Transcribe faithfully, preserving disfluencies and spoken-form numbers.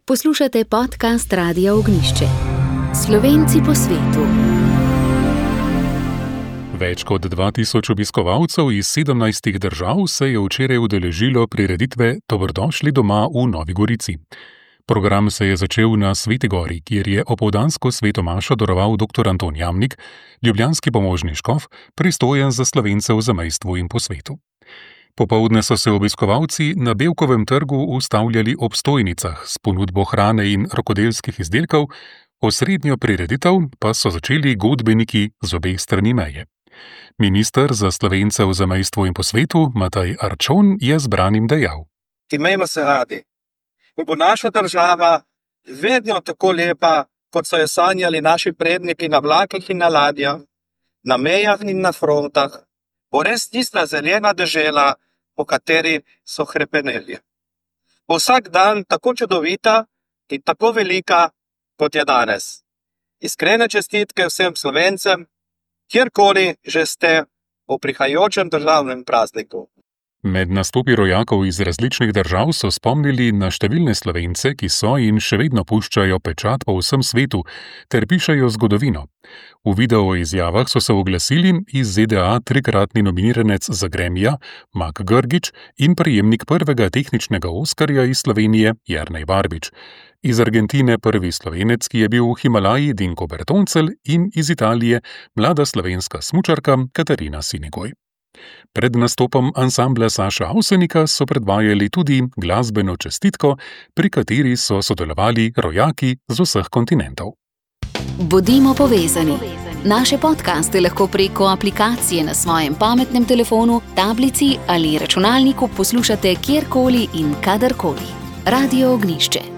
Poslušate podcast Radia Ognjišče. Slovenci po svetu. Več kot dva tisoč obiskovalcev iz sedemnajstih držav se je včeraj udeležilo prireditve Dobrodošli doma v Novi Gorici. Program se je začel na Sveti Gori, kjer je opoldansko svetomašo daroval doktor Anton Jamnik, ljubljanski pomožni škof, pristojen za Slovence v zamejstvu in po svetu. Popoldne so se obiskovalci na Bevkovem trgu ustavljali ob stojnicah s ponudbo hrane in rokodelskih izdelkov, osrednjo prireditev pa so začeli godbeniki z obeh strani meje. Minister za Slovence v zamejstvu in po svetu, Matej Arčon, je zbranim dejal: Imejmo se radi. In bo naša država vedno tako lepa, kot so jo sanjali naši predniki na vlakih in na ladjah, na mejah in na frontah, bo res tista zelena dežela, po kateri so hrepeneli. Bo vsak dan tako čudovita in tako velika, kot je danes. Iskrene čestitke vsem Slovencem, kjerkoli že ste v prihajajočem državnem prazniku. Med nastopi rojakov iz različnih držav so spomnili na številne Slovence, ki so in še vedno puščajo pečat po vsem svetu ter pišejo zgodovino. V video izjavah so se oglasili iz Z D A trikratni nominiranec za Gramija Mak Grgić in prejemnik prvega tehničnega Oskarja iz Slovenije Jernej Barbič, iz Argentine prvi Slovenec, ki je bil v Himalaji, Dinko Bertoncelj, in iz Italije mlada slovenska smučarka Katarina Sinigoj. Pred nastopom ansambla Saša Avsenika so predvajali tudi glasbeno čestitko, pri kateri so sodelovali rojaki z vseh kontinentov. Bodimo povezani. Naše podcaste lahko preko aplikacije na svojem pametnem telefonu, tablici ali računalniku poslušate kjerkoli in kadarkoli. Radio Ognjišče.